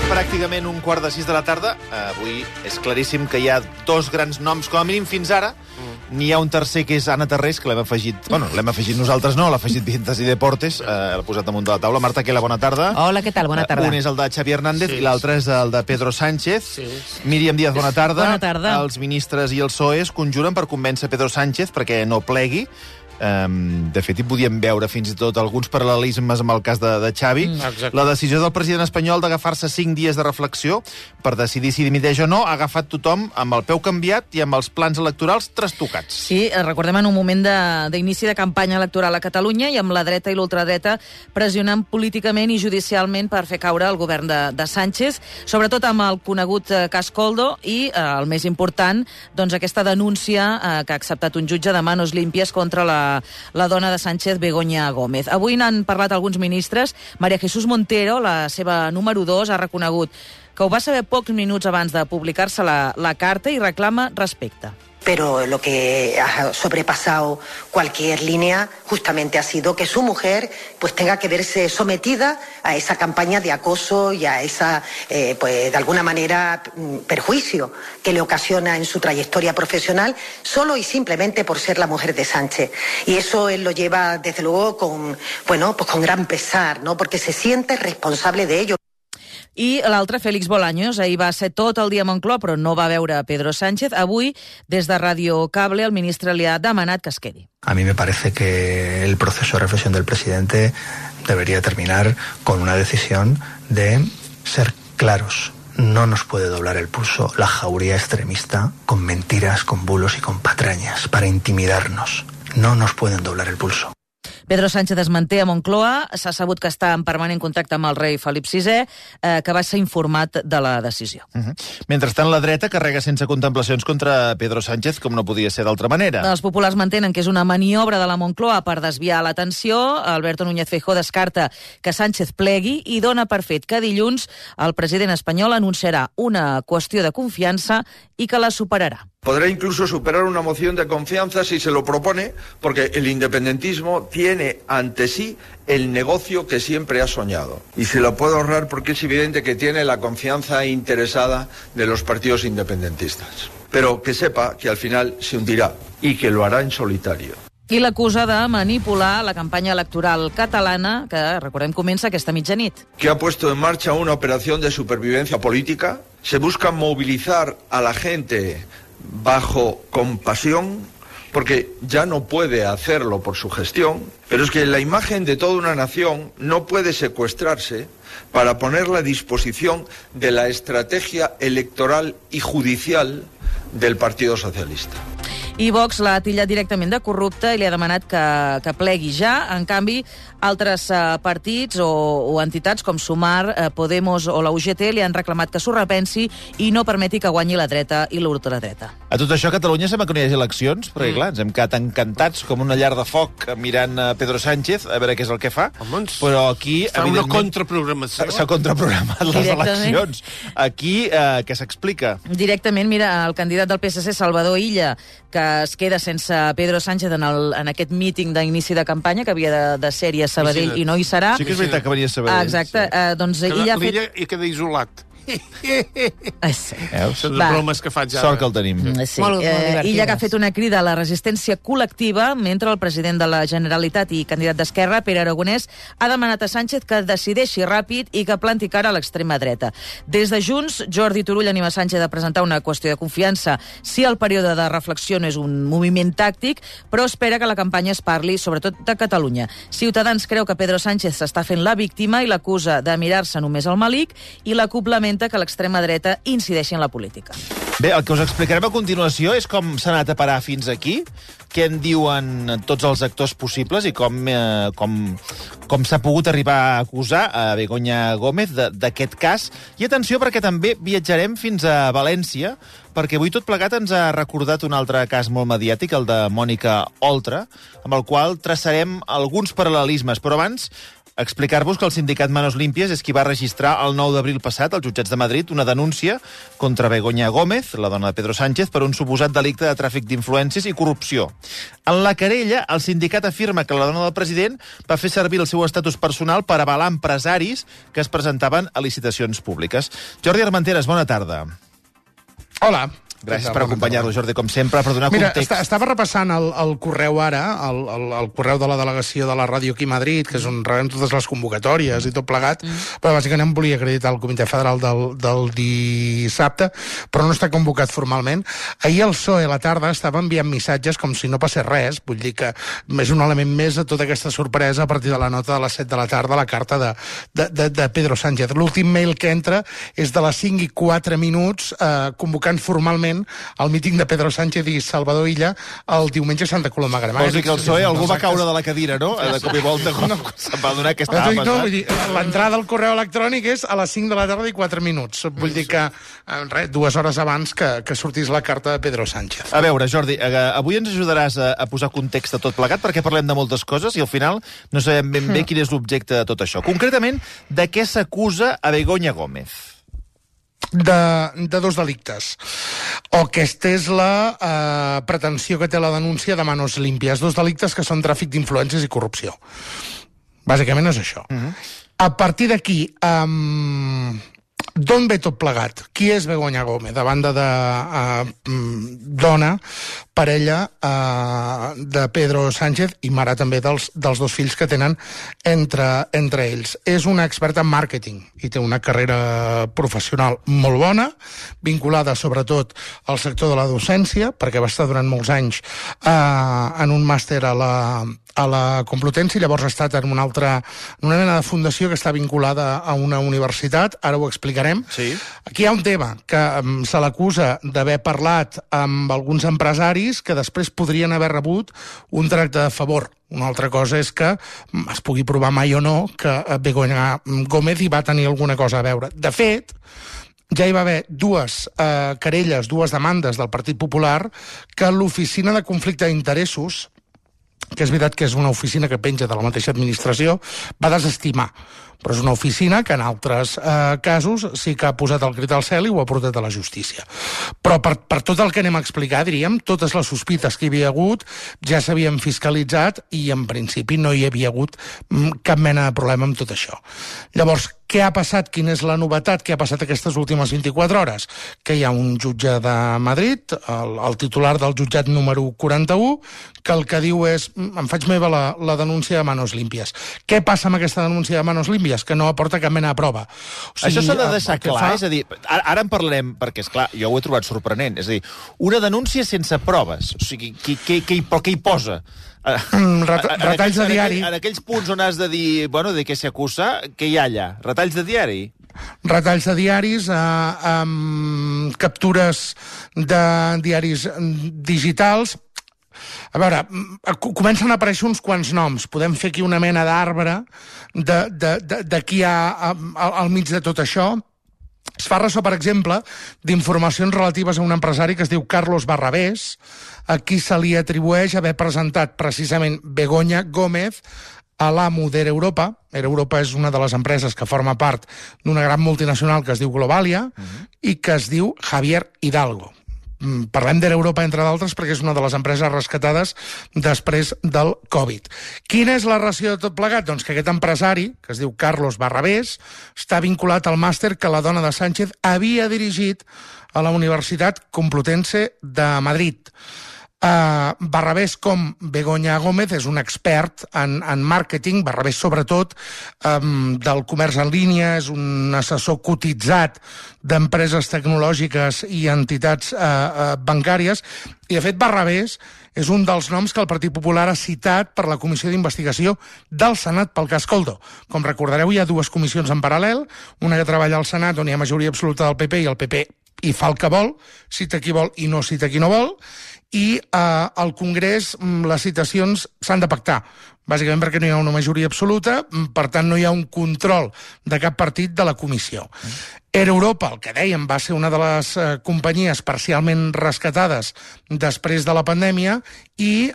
pràcticament 5:15 de la tarda. Avui és claríssim que hi ha dos grans noms, com a mínim fins ara. N'hi ha un tercer, que és Anna Tarrés, que l'hem afegit... Bueno, l'hem afegit nosaltres, no, l'ha afegit Vientas i Deportes, l'ha posat damunt de la taula. Marta Quela, bona tarda. Hola, què tal? Bona tarda. Un és el de Xavi Hernández i l'altre és el de Pedro Sánchez. Míriam Díaz, bona tarda. Bona tarda. Els ministres i el PSOE es conjuren per convèncer Pedro Sánchez perquè no plegui. De fet, hi podíem veure fins i tot alguns paral·lelismes amb el cas de Xavi. La decisió del president espanyol d'agafar-se 5 dies de reflexió per decidir si dimiteix o no ha agafat tothom amb el peu canviat i amb els plans electorals trastocats. Sí, recordem en un moment d'inici de campanya electoral a Catalunya i amb la dreta i l'ultradreta pressionant políticament i judicialment per fer caure el govern de Sánchez, sobretot amb el conegut cas Koldo i, el més important, doncs aquesta denúncia que ha acceptat un jutge de manos límpies contra la dona de Sánchez, Begoña Gómez. Avui n'han parlat alguns ministres. María Jesús Montero, la seva número 2, ha reconegut que ho va saber pocs minuts abans de publicar-se la carta i reclama respecte. Pero lo que ha sobrepasado cualquier línea justamente ha sido que su mujer pues tenga que verse sometida a esa campaña de acoso y a esa, pues de alguna manera, perjuicio que le ocasiona en su trayectoria profesional solo y simplemente por ser la mujer de Sánchez. Y eso él lo lleva desde luego con gran pesar, ¿no? Porque se siente responsable de ello. I l'altre, Félix Bolaños, ahir va ser tot el dia a Moncloa, però no va veure Pedro Sánchez. Avui, des de Radio Cable, el ministre li ha demanat que es quedi. A mí me parece que el proceso de reflexión del presidente debería terminar con una decisión de ser claros. No nos puede doblar el pulso la jauría extremista con mentiras, con bulos y con patrañas para intimidarnos. No nos pueden doblar el pulso. Pedro Sánchez es manté a Moncloa. S'ha sabut que està en permanent contacte amb el rei Felip VI, que va ser informat de la decisió. Mentrestant, la dreta carrega sense contemplacions contra Pedro Sánchez, com no podia ser d'altra manera. Els populars mantenen que és una maniobra de la Moncloa per desviar l'atenció. Alberto Núñez Feijóo descarta que Sánchez plegui i dona per fet que dilluns el president espanyol anunciarà una qüestió de confiança i que la superarà. Podrá incluso superar una moción de confianza si se lo propone, porque el independentismo tiene ante sí el negocio que siempre ha soñado. Y se lo puede ahorrar porque es evidente que tiene la confianza interesada de los partidos independentistas. Pero que sepa que al final se hundirá y que lo hará en solitario. I l'acusa de manipular la campanya electoral catalana, que, recordem, comença aquesta mitjanit. Que ha puesto en marcha una operación de supervivencia política. Se busca movilizar a la gente bajo compasión, porque ya no puede hacerlo por su gestión, pero es que la imagen de toda una nación no puede secuestrarse para ponerla a disposición de la estrategia electoral y judicial del Partido Socialista. I Vox l'ha titllat directament de corrupta i li ha demanat que plegui ja. En canvi, altres partits o entitats com Sumar, Podemos o la UGT li han reclamat que s'ho repensi i no permeti que guanyi la dreta i l'ultradreta. A tot això, a Catalunya sembla que no hi hagi eleccions, perquè clar, ens hem quedat encantats com una llar de foc mirant Pedro Sánchez, a veure què és el que fa. Però aquí, evidentment, una contraprogramació. S'ha contraprogramat les eleccions. Aquí, què s'explica? Directament, mira, el candidat del PSC, Salvador Illa, que es queda sense Pedro Sánchez en aquest míting d'inici de campanya, que havia de ser a Sabadell i no hi serà. Sí que és veritat que venia a Sabadell. Exacte. Doncs Illa ha fet... L'Illa hi queda isolat. Sí. Són les bromes que faig ara. Sort que el tenim. Sí. Illa que ha fet una crida a la resistència col·lectiva, mentre el president de la Generalitat i candidat d'Esquerra, Pere Aragonès, ha demanat a Sánchez que decideixi ràpid i que planti cara a l'extrema dreta. Des de Junts, Jordi Turull anima Sánchez a presentar una qüestió de confiança si el període de reflexió no és un moviment tàctic, però espera que la campanya es parli sobretot de Catalunya. Ciutadans creu que Pedro Sánchez s'està fent la víctima i l'acusa de mirar-se només al malic, i la CUP lamenta que l'extrema dreta incideixi en la política. Bé, el que us explicarem a continuació és com s'ha anat a parar fins aquí, què en diuen tots els actors possibles i com s'ha pogut arribar a acusar a Begoña Gómez d'aquest cas. I atenció, perquè també viatjarem fins a València, perquè avui tot plegat ens ha recordat un altre cas molt mediàtic, el de Mònica Oltra, amb el qual traçarem alguns paral·lelismes. Però abans, explicar-vos que el sindicat Manos Límpies és qui va registrar el 9 d'abril passat als jutjats de Madrid una denúncia contra Begoña Gómez, la dona de Pedro Sánchez, per un suposat delicte de tràfic d'influències i corrupció. En la querella, el sindicat afirma que la dona del president va fer servir el seu estatus personal per avalar empresaris que es presentaven a licitacions públiques. Jordi Armenteres, bona tarda. Hola. Gràcies per acompanyar-nos, Jordi, com sempre, per donar context. Mira, estava repassant el correu ara, el correu de la delegació de la ràdio aquí a Madrid, que és on rebem totes les convocatòries i tot plegat, però bàsicament volia acreditar el Comitè Federal del dissabte, però no està convocat formalment. Ahir el PSOE a la tarda estava enviant missatges com si no passés res, vull dir que és un element més de tota aquesta sorpresa a partir de la nota de les 7 de la tarda, la carta de Pedro Sánchez. L'últim mail que entra és de les 5:04, convocant formalment el míting de Pedro Sánchez i Salvador Illa el diumenge a Santa Coloma de Gramenet. Vols dir que el PSOE algú va caure de la cadira, no? De cop i volta, se'n va adonar que estava passant. No, vull dir, l'entrada al correu electrònic és a les 5 de la tarda i 4 minuts. Vull dir que, 2 hores abans que sortís la carta de Pedro Sánchez. A veure, Jordi, avui ens ajudaràs a posar context a tot plegat, perquè parlem de moltes coses i al final no sabem ben bé quin és l'objecte de tot això. Concretament, de què s'acusa a Begoña Gómez? De 2 delictes. O aquesta és la pretensió que té la denúncia de Manos Limpias. 2 delictes que són tràfic d'influències i corrupció. Bàsicament és això. A partir d'aquí, d'on ve tot plegat? Qui és Begoña Gómez? A banda de dona, parella de Pedro Sánchez i mare també dels 2 fills que tenen entre ells. És una experta en màrqueting i té una carrera professional molt bona, vinculada sobretot al sector de la docència, perquè va estar durant molts anys en un màster a la Complutense i llavors ha estat en una mena de fundació que està vinculada a una universitat, ara ho explicarem. Sí. Aquí hi ha un tema, que se l'acusa d'haver parlat amb alguns empresaris que després podrien haver rebut un tracte de favor. Una altra cosa és que es pugui provar mai o no que Begoña Gómez hi va tenir alguna cosa a veure. De fet, ja hi va haver 2 querelles, 2 demandes del Partit Popular que l'Oficina de Conflicte d'Interessos, que és veritat que és una oficina que penja de la mateixa administració, va desestimar. Però és una oficina que en altres casos sí que ha posat el crit al cel i ho ha portat a la justícia. Però per tot el que anem a explicar, diríem, totes les sospites que hi havia hagut ja s'havien fiscalitzat i en principi no hi havia hagut cap mena de problema amb tot això. Llavors, què ha passat? Quina és la novetat? Què ha passat aquestes últimes 24 hores? Que hi ha un jutge de Madrid, el titular del jutjat número 41, que el que diu és em faig meva la denúncia de Manos Limpias. Què passa amb aquesta denúncia de Manos Limpias? Que no aporta cap mena de prova. O sigui, això s'ha de deixar clar, és a dir, ara en parlarem, perquè, esclar, jo ho he trobat sorprenent, és a dir, una denúncia sense proves, o sigui, què hi posa? Retalls de diari. En aquells punts on has de dir, bueno, de què s'acusa, què hi ha allà? Retalls de diari? Retalls de diaris, captures de diaris digitals. A veure, comencen a aparèixer uns quants noms. Podem fer aquí una mena d'arbre de qui hi ha al mig de tot això. Es fa ressò, per exemple, d'informacions relatives a un empresari que es diu Carlos Barrabés, a qui se li atribueix haver presentat precisament Begoña Gómez a l'amo d'Air Europa. Air Europa és una de les empreses que forma part d'una gran multinacional que es diu Globalia i que es diu Javier Hidalgo. Parlem d'Air Europa, entre d'altres, perquè és una de les empreses rescatades després del Covid. Quina és la ració de tot plegat? Doncs que aquest empresari, que es diu Carlos Barrabés, està vinculat al màster que la dona de Sánchez havia dirigit a la Universitat Complutense de Madrid. Barrabés, com Begoña Gómez, és un expert en màrqueting, Barrabés sobretot del comerç en línia, és un assessor cotitzat d'empreses tecnològiques i entitats bancàries, i de fet Barrabés és un dels noms que el Partit Popular ha citat per la comissió d'investigació del Senat pel cas Coldo. Com recordareu, hi ha 2 comissions en paral·lel, una que treballa al Senat on hi ha majoria absoluta del PP i el PP hi fa el que vol, cita qui vol i no cita qui no vol, i al Congrés les citacions s'han de pactar, bàsicament perquè no hi ha una majoria absoluta, per tant no hi ha un control de cap partit de la comissió. Air Europa, el que dèiem, va ser una de les companyies parcialment rescatades després de la pandèmia i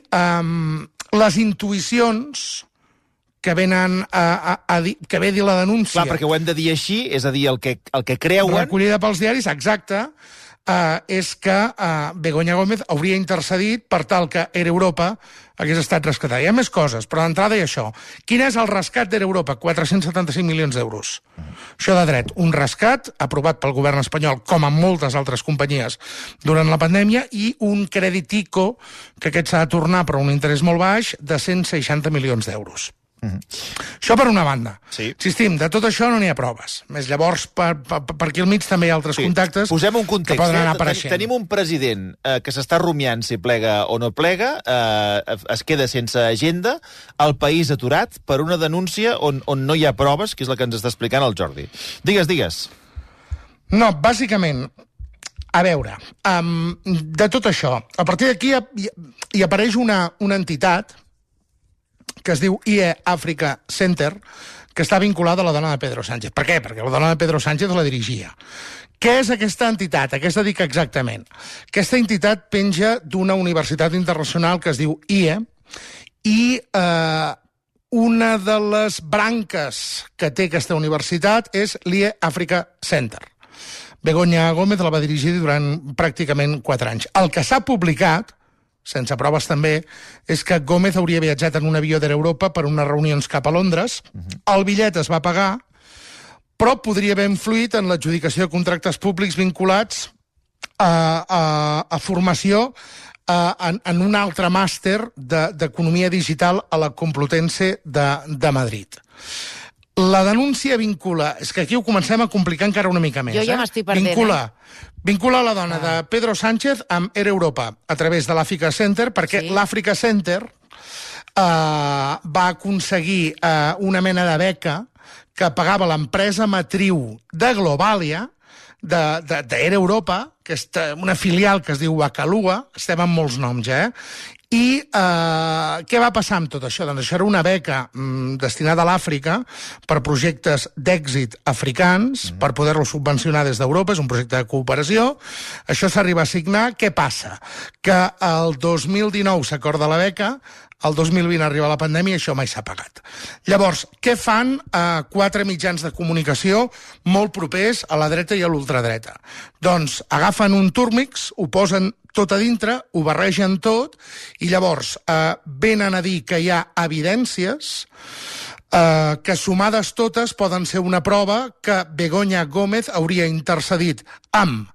les intuïcions que venen que ve a dir la denúncia. Clar, perquè ho hem de dir així, és a dir, el que creuen... Recollida pels diaris, exacte, és que Begoña Gómez hauria intercedit per tal que Air Europa hagués estat rescatada. Hi ha més coses, però d'entrada hi ha això. Quin és el rescat d'Air Europa? 475 milions d'euros. Això de dret. Un rescat aprovat pel govern espanyol, com en moltes altres companyies, durant la pandèmia, i un crèdit ICO, que aquest s'ha de tornar per un interès molt baix, de 160 milions d'euros. Això per una banda. Sí. Insistim, de tot això no n'hi ha proves. Més llavors, per aquí al mig també hi ha altres contactes. Posem un context. Que poden anar apareixent. Tenim un president que s'està rumiant si plega o no plega, es queda sense agenda, el país aturat per una denúncia on no hi ha proves, que és la que ens està explicant el Jordi. Digues. No, bàsicament, a veure, de tot això, a partir d'aquí hi apareix una entitat que es diu IE Africa Center, que està vinculada a la dona de Pedro Sánchez. Per què? Perquè la dona de Pedro Sánchez la dirigia. Què és aquesta entitat? A què es dedica exactament? Aquesta entitat penja d'una universitat internacional que es diu IE, i una de les branques que té aquesta universitat és l'IE Africa Center. Begoña Gómez la va dirigir durant pràcticament 4 anys. El que s'ha publicat, sense proves també, és que Gómez hauria viatjat en un avió d'Air Europa per unes reunions cap a Londres. El bitllet es va pagar, però podria haver influït en l'adjudicació de contractes públics vinculats a formació en un altre màster d'economia digital a la Complutense de Madrid. La denúncia vincula... És que aquí ho comencem a complicar encara una mica més. Jo ja m'estic perdent, Vincula la dona de Pedro Sánchez amb Air Europa a través de l'Africa Center, perquè l'Africa Center va aconseguir una mena de beca que pagava l'empresa matriu de Globalia, d'Air Europa, que és una filial que es diu Bacalua, estem amb molts noms ja, I què va passar amb tot això? Doncs això era una beca destinada a l'Àfrica per projectes d'èxit africans, per poder-lo subvencionar des d'Europa, és un projecte de cooperació. Això s'arriba a signar. Què passa? Que el 2019 s'acorda la beca, el 2020 arriba la pandèmia i això mai s'ha pagat. Llavors, què fan 4 mitjans de comunicació molt propers a la dreta i a l'ultradreta? Doncs agafen un túrmix, ho posen tot a dintre, ho barregen tot, i llavors venen a dir que hi ha evidències que sumades totes poden ser una prova que Begoña Gómez hauria intercedit amb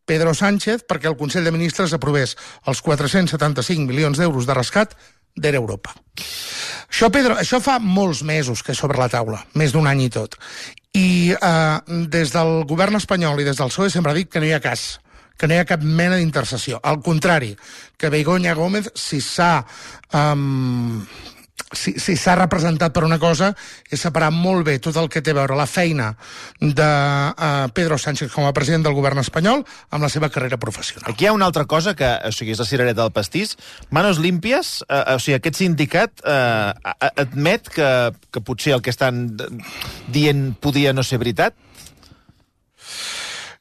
Pedro Sánchez perquè el Consell de Ministres aprovés els 475 milions d'euros de rescat d'Air Europa. Això fa molts mesos que és sobre la taula, més d'un any i tot. I des del govern espanyol i des del PSOE sempre ha dit que no hi ha cas, que no hi ha cap mena d'intercessió. Al contrari, que Begoña Gómez, si s'ha representat per una cosa, és separar molt bé tot el que té a veure la feina de Pedro Sánchez com a president del govern espanyol amb la seva carrera professional. Aquí hi ha una altra cosa que, o sigui, és la cirereta del pastís. Manos Limpias, o sigui, aquest sindicat admet que potser el que estan dient podia no ser veritat?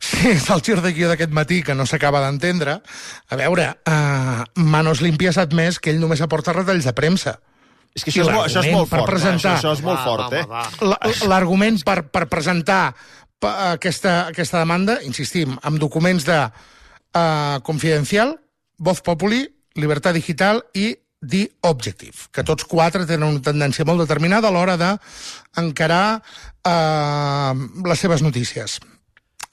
Sí, és el gir de guió d'aquest matí que no s'acaba d'entendre. A veure, Manos Limpias ha admès que ell només aporta retalls de premsa. És que això és molt fort. Això és molt fort, eh? L'argument per presentar aquesta demanda, insistim, amb documents de Confidencial, Voz Populi, Libertad Digital i The Objective, que tots 4 tenen una tendència molt determinada a l'hora d'encarar les seves notícies.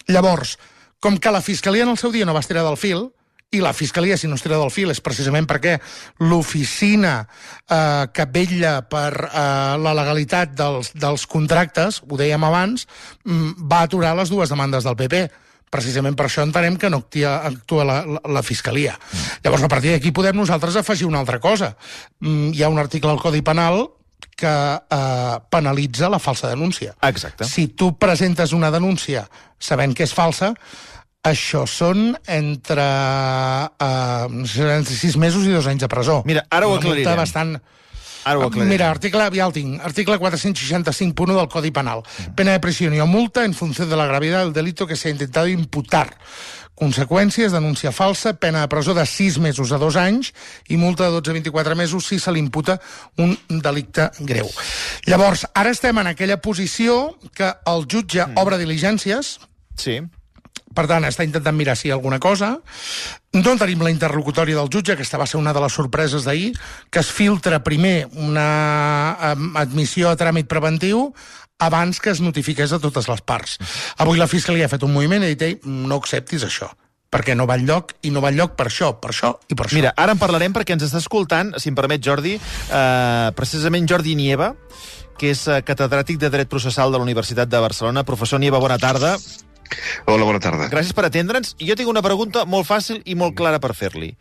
Llavors, com que la Fiscalia en el seu dia no va estirar del fil, i la Fiscalia, si no es tira del fil, és precisament perquè l'oficina que vetlla per la legalitat dels contractes, ho dèiem abans, va aturar les 2 demandes del PP. Precisament per això entenem que no actua la Fiscalia. Llavors, a partir d'aquí podem nosaltres afegir una altra cosa. Hi ha un article al Codi Penal que penalitza la falsa denúncia. Exacte. Si tu presentes una denúncia sabent que és falsa, això són entre 6 mesos i 2 anys de presó. Mira, ara ho aclarirem. Mira, article 465.1 del Codi Penal. Pena de prisión o multa en función de la gravedad del delito que se ha intentado imputar. Conseqüències, denúncia falsa, pena de presó de 6 mesos a 2 anys i multa de 12 a 24 mesos si se li imputa un delicte greu. Llavors, ara estem en aquella posició que el jutge obre diligències. Sí. Per tant, està intentant mirar si hi ha alguna cosa. No tenim la interlocutòria del jutge, aquesta va ser una de les sorpreses d'ahir, que es filtra primer una admissió a tràmit preventiu abans que es notifiqués a totes les parts. Avui la Fiscalia ha fet un moviment i ha dit, no acceptis això, perquè no va enlloc, i no va enlloc per això i per això. Mira, ara en parlarem perquè ens està escoltant, si em permet, Jordi, precisament Jordi Nieva, que és catedràtic de Dret Processal de la Universitat de Barcelona. Professor Nieva, bona tarda. Hola, bona tarda. Gràcies per atendre'ns. Jo tinc una pregunta molt fàcil i molt clara per fer-li.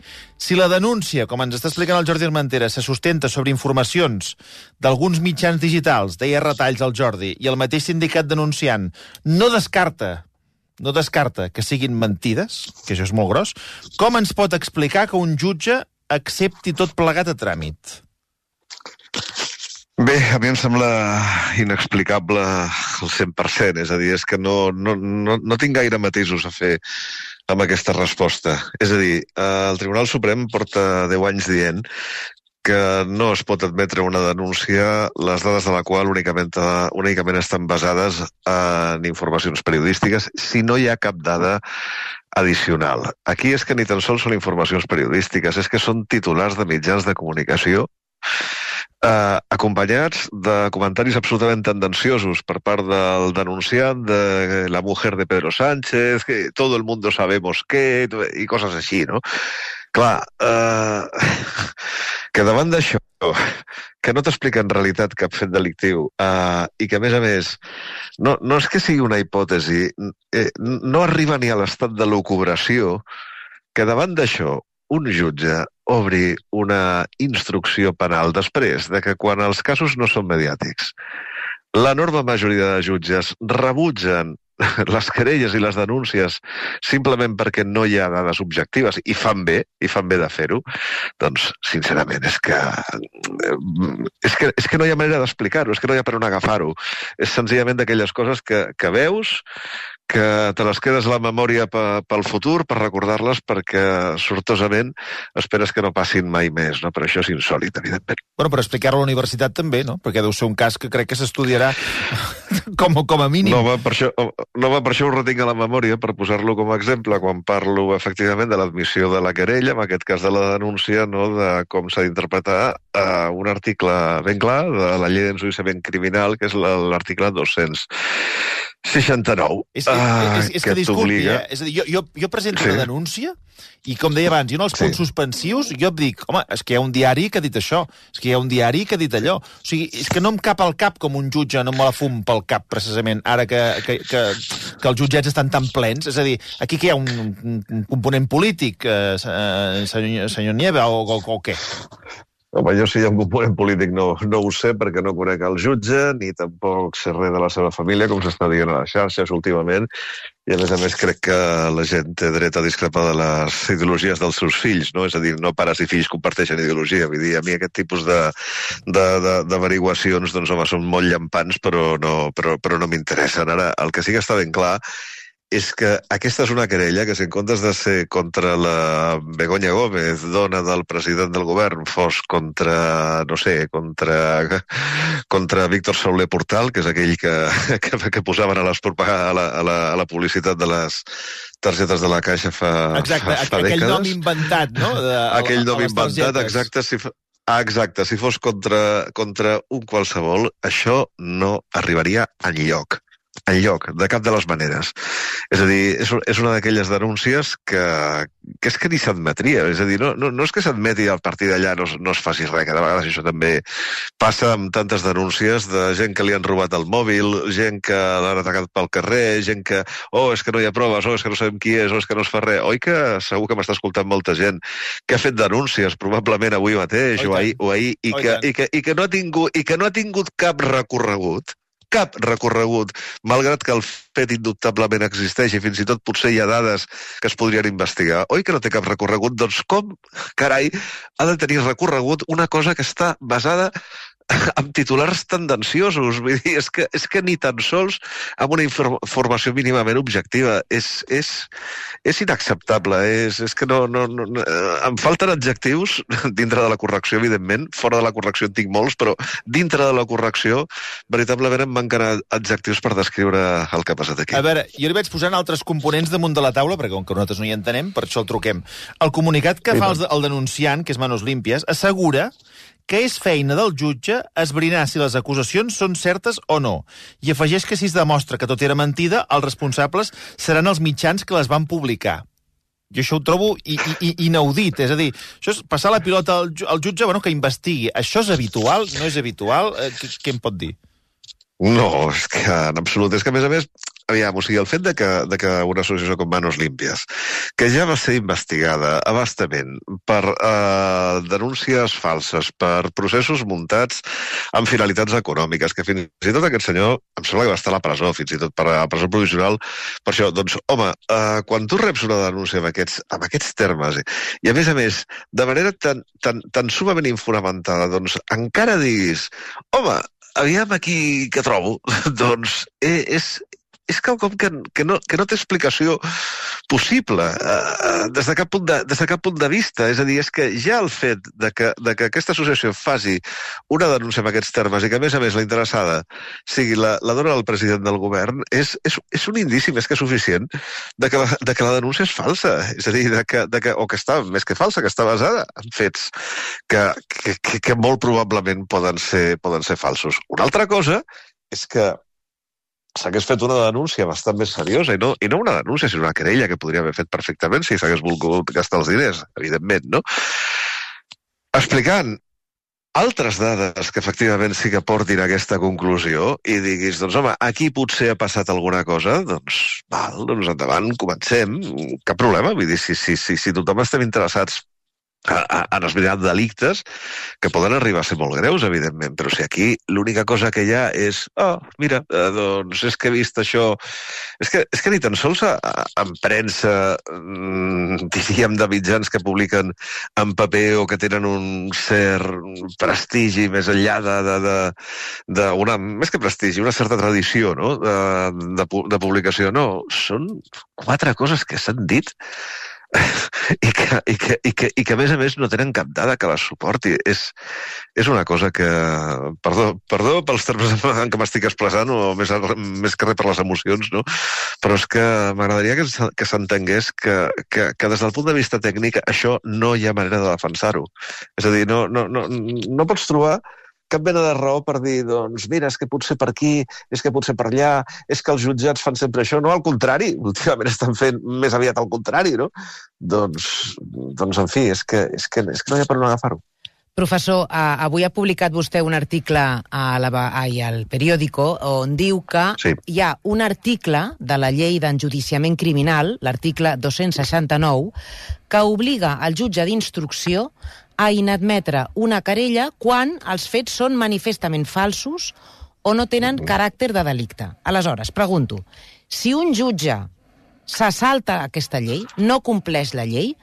Si la denúncia, com ens està explicant el Jordi Armentera, se sustenta sobre informacions d'alguns mitjans digitals, deia retalls al Jordi, i el mateix sindicat denunciant no descarta que siguin mentides, que això és molt gros, com ens pot explicar que un jutge accepti tot plegat a tràmit? Bé, a mi em sembla inexplicable al 100%, és a dir, és que no tinc gaire matisos a fer amb aquesta resposta. És a dir, el Tribunal Suprem porta 10 anys dient que no es pot admetre una denúncia les dades de la qual únicament estan basades en informacions periodístiques si no hi ha cap dada addicional. Aquí és que ni tan sols són informacions periodístiques, és que són titulars de mitjans de comunicació acompanyats de comentaris absolutament tendenciosos per part del denunciant de la mujer de Pedro Sánchez, que todo el mundo sabemos que, i coses així, no? Clar, que davant d'això, que no t'explica en realitat cap fet delictiu, i que, a més, no és que sigui una hipòtesi, no arriba ni a l'estat de lucubració, que davant d'això un jutge obri una instrucció penal després de que quan els casos no són mediàtics, l'enorme majoria de jutges rebutgen les querelles i les denúncies simplement perquè no hi ha dades objectives i fan bé de fer-ho, doncs, sincerament, és que no hi ha manera d'explicar-ho, és que no hi ha per on agafar-ho. És senzillament d'aquelles coses que veus, que te les quedes a la memòria pel futur, per recordar-les, perquè sortosament esperes que no passin mai més, no? Però això és insòlit, evidentment. Bueno, per explicar-ho a la universitat també, no? Perquè deu ser un cas que crec que s'estudiarà com a mínim. No, per això ho retinc a la memòria, per posar-lo com a exemple, quan parlo, efectivament, de l'admissió de la querella, en aquest cas de la denúncia, no?, de com s'ha d'interpretar un article ben clar de la llei d'enjudiciament criminal, que és l'article 269. És que disculpi, és a dir, jo presento una denúncia i, com deia abans, jo en els punts suspensius jo em dic, home, és que hi ha un diari que ha dit això, és que hi ha un diari que ha dit allò. O sigui, és que no em cap al cap com un jutge, no me la fum pel cap, precisament, ara que els jutjats estan tan plens. És a dir, aquí que hi ha un component polític, senyor Nieva, o què? Home, jo si hi ha un component polític no ho sé, perquè no conec el jutge, ni tampoc sé res de la seva família, com s'està dient a les xarxes últimament, i a més crec que la gent té dret a discrepar de les ideologies dels seus fills, no? És a dir, no pares i fills comparteixen ideologia. Vull dir, a mi aquest tipus d'averiguacions, doncs, home, són molt llampants, però no m'interessen. Ara, el que sí que està ben clar és que aquesta és una querella que, si en comptes de ser contra la Begoña Gómez, dona del president del govern, fos contra Víctor Soler Portal, que és aquell que posaven a la publicitat de les targetes de la Caixa fa dècades. Aquell nom inventat, no? Aquell nom inventat, exacte. Si fos contra un qualsevol, això no arribaria enlloc, de cap de les maneres. És a dir, és una d'aquelles denúncies que és que ni s'admetria. És a dir, no és que s'admeti a partir d'allà no es faci res, que de vegades això també passa amb tantes denúncies de gent que li han robat el mòbil, gent que l'han atacat pel carrer, gent que, és que no hi ha proves, és que no sabem qui és que no es fa res. Oi que segur que m'està escoltant molta gent que ha fet denúncies, probablement avui mateix o ahir, i que no ha tingut cap recorregut, malgrat que el fet indubtablement existeix i fins i tot potser hi ha dades que es podrien investigar. Oi que no té cap recorregut? Doncs com, carai, ha de tenir recorregut una cosa que està basada amb titulars tendenciosos. Vull dir, és que ni tan sols amb una informació mínimament objectiva. És inacceptable. És que no, em falten adjectius dintre de la correcció, evidentment. Fora de la correcció en tinc molts, però dintre de la correcció, veritablement em manquen adjectius per descriure el que ha passat aquí. A veure, jo li vaig posant altres components damunt de la taula, perquè com que nosaltres no hi entenem, per això el truquem. El comunicat que fa el denunciant, que és Manos Limpias, assegura que és feina del jutge esbrinar si les acusacions són certes o no. I afegeix que si es demostra que tot era mentida, els responsables seran els mitjans que les van publicar. Jo això ho trobo inaudit. És a dir, això és passar la pilota al jutge que investigui. Això és habitual? No és habitual? Què em pot dir? No, és que en absolut. És que, a més, aviam, o sigui, el fet de que una associació com Manos Limpias, que ja va ser investigada a bastament per denúncies falses, per processos muntats amb finalitats econòmiques, que fins i tot aquest senyor, em sembla que va estar a la presó, fins i tot per a presó provisional, per això, doncs, home, quan tu reps una denúncia amb aquests termes, i a més, de manera tan sumament infonamentada, doncs encara diguis, home, aviam aquí què trobo, doncs és quelcom que no té explicació possible des de cap punt de vista. És a dir, és que ja el fet de que aquesta associació faci una denúncia amb aquests termes i que, a més, la interessada sigui la dona del president del govern és un indici més que suficient de que la denúncia és falsa. És a dir, o que està més que falsa, que està basada en fets que molt probablement poden ser falsos. Una altra cosa és que s'hagués fet una denúncia bastant més seriosa, i no una denúncia, sinó una querella que podria haver fet perfectament si s'hagués volgut gastar els diners, evidentment, no? Explicant altres dades que efectivament sí que portin a aquesta conclusió i diguis, doncs home, aquí potser ha passat alguna cosa, doncs endavant, comencem, cap problema, vull dir, si tothom estem interessats en esbrinar delictes que poden arribar a ser molt greus, evidentment, però si aquí l'única cosa que hi ha és mira, doncs és que he vist això... És que ni tan sols en premsa, diríem, de mitjans que publiquen en paper o que tenen un cert prestigi més enllà més que prestigi, una certa tradició, no?, de publicació. No, són 4 coses que s'han dit i que a més no tenen cap dada que les suporti. És una cosa que... Perdó pels termes en què m'estic expressant, o més que res per les emocions, no? Però és que m'agradaria que s'entengués que des del punt de vista tècnic això no hi ha manera de defensar-ho. És a dir, no pots trobar cap mena de raó per dir, doncs, mira, és que potser per aquí, és que potser per allà, és que els jutjats fan sempre això. No, al contrari, últimament estan fent més aviat al contrari, no? Doncs en fi, és que no hi ha per on agafar-ho. Professor, avui ha publicat vostè un article al periòdico on diu que hi ha un article de la llei d'enjudiciament criminal, l'article 269, que obliga el jutge d'instrucció a inadmetre una querella quan els fets són manifestament falsos o no tenen caràcter de delicte. Aleshores, pregunto, si un jutge se salta aquesta llei, no compleix la llei,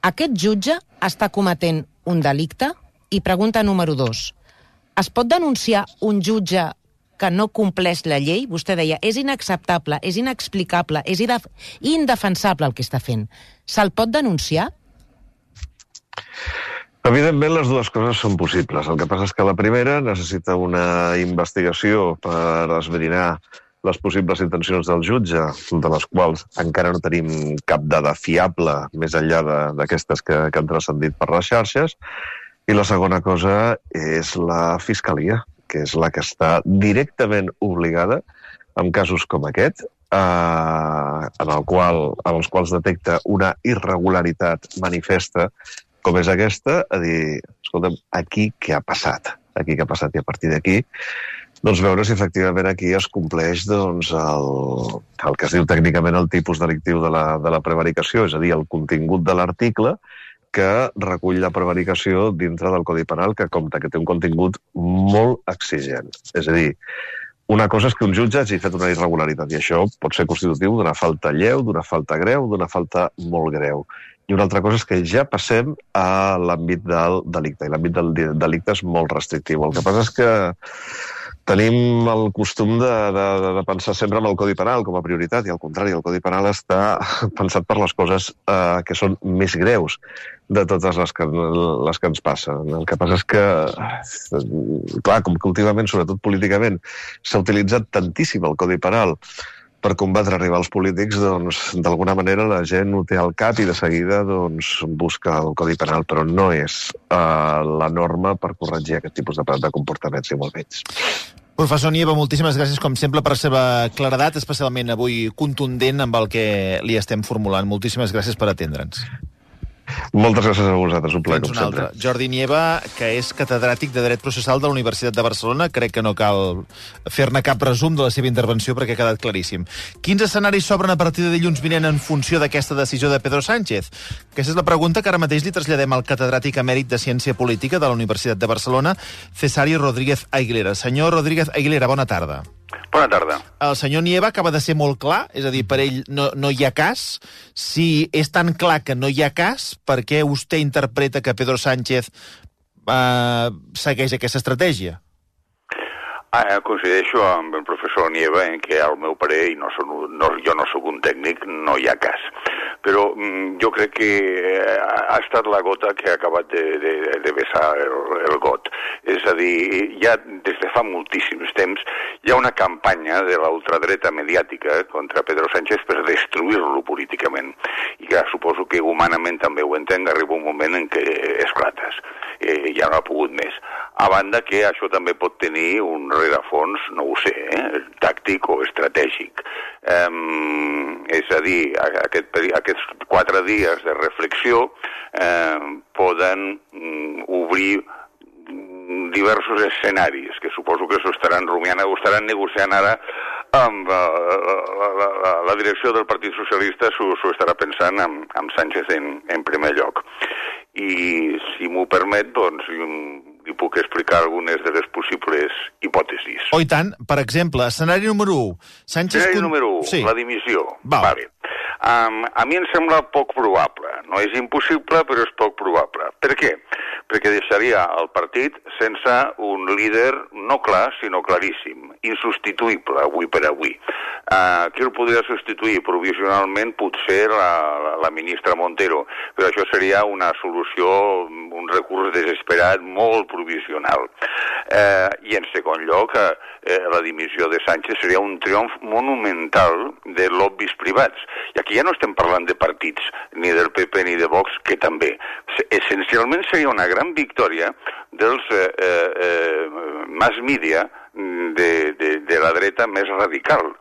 aquest jutge està cometent un delicte? I pregunta número 2, es pot denunciar un jutge que no compleix la llei? Vostè deia, és inacceptable, és inexplicable, és indefensable el que està fent. Se'l pot denunciar? Evidentment, les dues coses són possibles. El que passa és que la primera necessita una investigació per esbrinar les possibles intencions del jutge, de les quals encara no tenim cap dada fiable més enllà d'aquestes que han transcendit per les xarxes. I la segona cosa és la Fiscalia, que és la que està directament obligada, en casos com aquest, en els quals detecta una irregularitat manifesta, com és aquesta, a dir, escolta'm, aquí què ha passat? Aquí què ha passat? I a partir d'aquí, doncs veure si efectivament aquí es compleix doncs, el que es diu tècnicament el tipus delictiu de la prevaricació, és a dir, el contingut de l'article que recull la prevaricació dintre del Codi Penal, que compta que té un contingut molt exigent. És a dir, una cosa és que un jutge hagi fet una irregularitat, i això pot ser constitutiu d'una falta lleu, d'una falta greu, d'una falta molt greu. i una altra cosa és que ja passem a l'àmbit del delicte, i l'àmbit del delicte és molt restrictiu. El que passa és que tenim el costum de pensar sempre en el Codi Penal com a prioritat, i al contrari, el Codi Penal està pensat per les coses que són més greus de totes les que ens passen. El que passa és que, clar, com que últimament, sobretot políticament, s'ha utilitzat tantíssim el Codi Penal per combatre rivals polítics, doncs, d'alguna manera la gent ho té al cap i de seguida doncs, busca el Codi Penal, però no és la norma per corregir aquest tipus de comportaments, i molt menys. Professor Nieva, moltíssimes gràcies, com sempre, per la seva claredat, especialment avui contundent amb el que li estem formulant. Moltíssimes gràcies per atendre'ns. Moltes gràcies a vosaltres, un plaer, com sempre. Jordi Nieva, que és catedràtic de Dret Processal de la Universitat de Barcelona. Crec que no cal fer-ne cap resum de la seva intervenció perquè ha quedat claríssim. Quins escenaris s'obren a partir de dilluns vinent en funció d'aquesta decisió de Pedro Sánchez? Aquesta és la pregunta que ara mateix li traslladem al catedràtic emèrit de Ciència Política de la Universitat de Barcelona, Cesari Rodríguez Aguilera. Senyor Rodríguez Aguilera, bona tarda. Bona tarda. El senyor Nieva acaba de ser molt clar, és a dir, per ell no hi ha cas. Si és tan clar que no hi ha cas, per què vostè interpreta que Pedro Sánchez segueix aquesta estratègia? Coincideixo amb el professor Nieva en què al meu parer, i jo no soc un tècnic, no hi ha cas. Però jo crec que ha estat la gota que ha acabat de vessar el got. És a dir, ja des de fa moltíssims temps hi ha una campanya de la ultradreta mediàtica contra Pedro Sánchez per destruir-lo políticament. I que suposo que humanament també ho entenc, arriba un moment en què esclates. Ja no ha pogut més. A banda que això també pot tenir un rerefons, no ho sé, tàctic o estratègic. És a dir, aquests 4 dies de reflexió poden obrir diversos escenaris, que suposo que s'ho estaran rumiant o estaran negociant ara amb la direcció del Partit Socialista, s'ho estarà pensant amb Sánchez en primer lloc. I si m'ho permet, doncs li puc explicar algunes de les possibles hipòtesis. Oh, i tant. Per exemple, escenari número 1. Escenari número 1, sí. La dimissió. Vale. A mi em sembla poc probable. No és impossible, però és poc probable. Per què? Perquè deixaria el partit sense un líder no clar, sinó claríssim, insubstituïble avui per avui. Qui el podria substituir? Provisionalment potser la ministra Montero, però això seria una solució, un recurs desesperat molt provisional. I en segon lloc, la dimissió de Sánchez seria un triomf monumental de lobbys privats. I aquí ja no estem parlant de partits, ni del PP ni de Vox, que també. Essencialment seria una gran victòria dels mass media de la dreta més radical.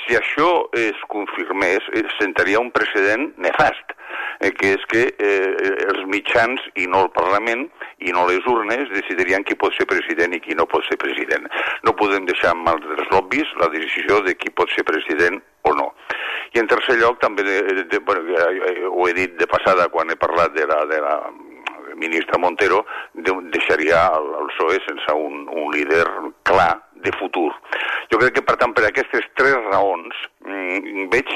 Si això es confirmés, sentaria un precedent nefast, que és que els mitjans i no el Parlament i no les urnes decidirien qui pot ser president i qui no pot ser president. No podem deixar en mans dels lobbys la decisió de qui pot ser president o no. I en tercer lloc, també, ho he dit de passada quan he parlat de la ministra Montero, deixaria el PSOE sense un líder clar de futur. Jo crec que, per tant, per aquestes 3 raons, veig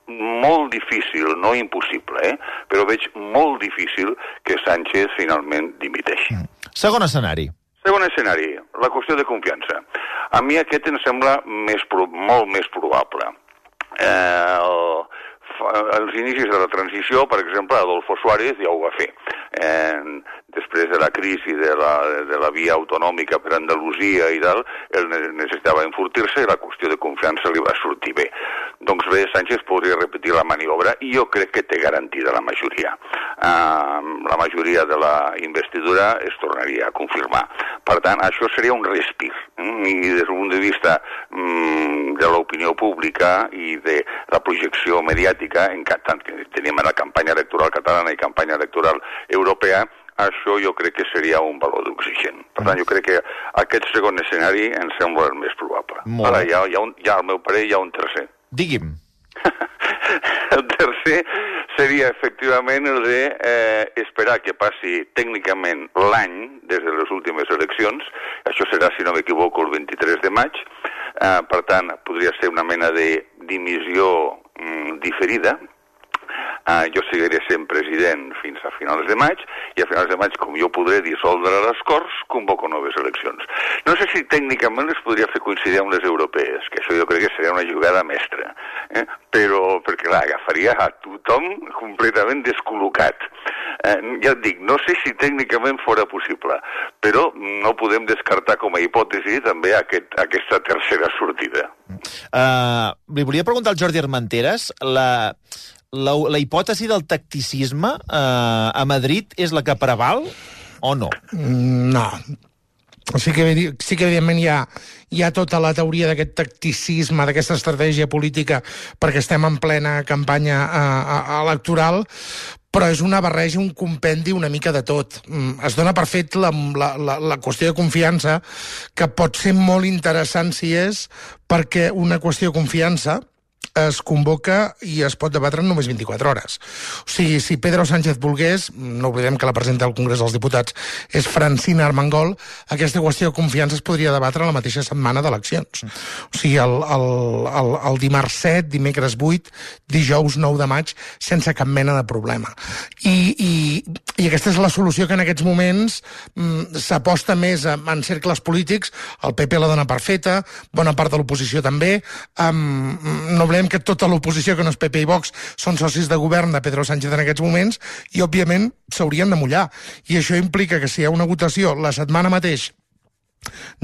molt difícil, no impossible, però veig molt difícil que Sánchez finalment dimiteixi. Segon escenari. Segon escenari, la qüestió de confiança. A mi aquest em sembla molt més probable. Als inicis de la transició, per exemple, Adolfo Suárez ja ho va fer. Després de la crisi de la via autonòmica per Andalusia i tal, ell necessitava enfortir-se i la qüestió de confiança li va sortir bé. Doncs bé, Sánchez podria repetir la maniobra i jo crec que té garantida la majoria. La majoria de la investidura es tornaria a confirmar. Per tant, això seria un respir. I des d'un punt de vista de l'opinió pública i de la projecció mediàtica, tant que tenim la campanya electoral catalana i campanya electoral europea, això jo crec que seria un valor d'oxigen. Per tant, jo crec que aquest segon escenari em sembla el més probable. Ara, al meu parer, hi ha un tercer. Digui'm. El tercer seria, efectivament, el d'esperar que passi tècnicament l'any des de les últimes eleccions. Això serà, si no m'equivoco, el 23 de maig. Per tant, podria ser una mena de dimissió diferida, jo seguiré sent president fins a finals de maig, i a finals de maig, com jo podré dissoldre les Corts, convoco noves eleccions. No sé si tècnicament les podria fer coincidir amb les europees, que això jo crec que seria una jugada mestra, però, perquè clar, agafaria a tothom completament descol·locat. Ja et dic, no sé si tècnicament fora possible, però no podem descartar com a hipòtesi també aquesta tercera sortida. Li volia preguntar al Jordi Armenteres, la hipòtesi del tacticisme a Madrid és la que preval o no? No. Sí que evidentment hi ha tota la teoria d'aquest tacticisme, d'aquesta estratègia política, perquè estem en plena campanya electoral, però és una barreja, un compendi una mica de tot. Es dona per fet la qüestió de confiança, que pot ser molt interessant si és, perquè una qüestió de confiança es convoca i es pot debatre en només 24 hores. O sigui, si Pedro Sánchez volgués, no oblidem que la presidenta del Congrés dels Diputats és Francina Armengol, aquesta qüestió de confiança es podria debatre la mateixa setmana d'eleccions. O sigui, el dimarts 7, dimecres 8, dijous 9 de maig, sense cap mena de problema. I aquesta és la solució que en aquests moments s'aposta més en cercles polítics. El PP la dona per feta, bona part de l'oposició també. No oblidem que tota l'oposició, que no és PP i Vox, són socis de govern de Pedro Sánchez en aquests moments, i òbviament s'haurien de mullar. I això implica que si hi ha una votació la setmana mateix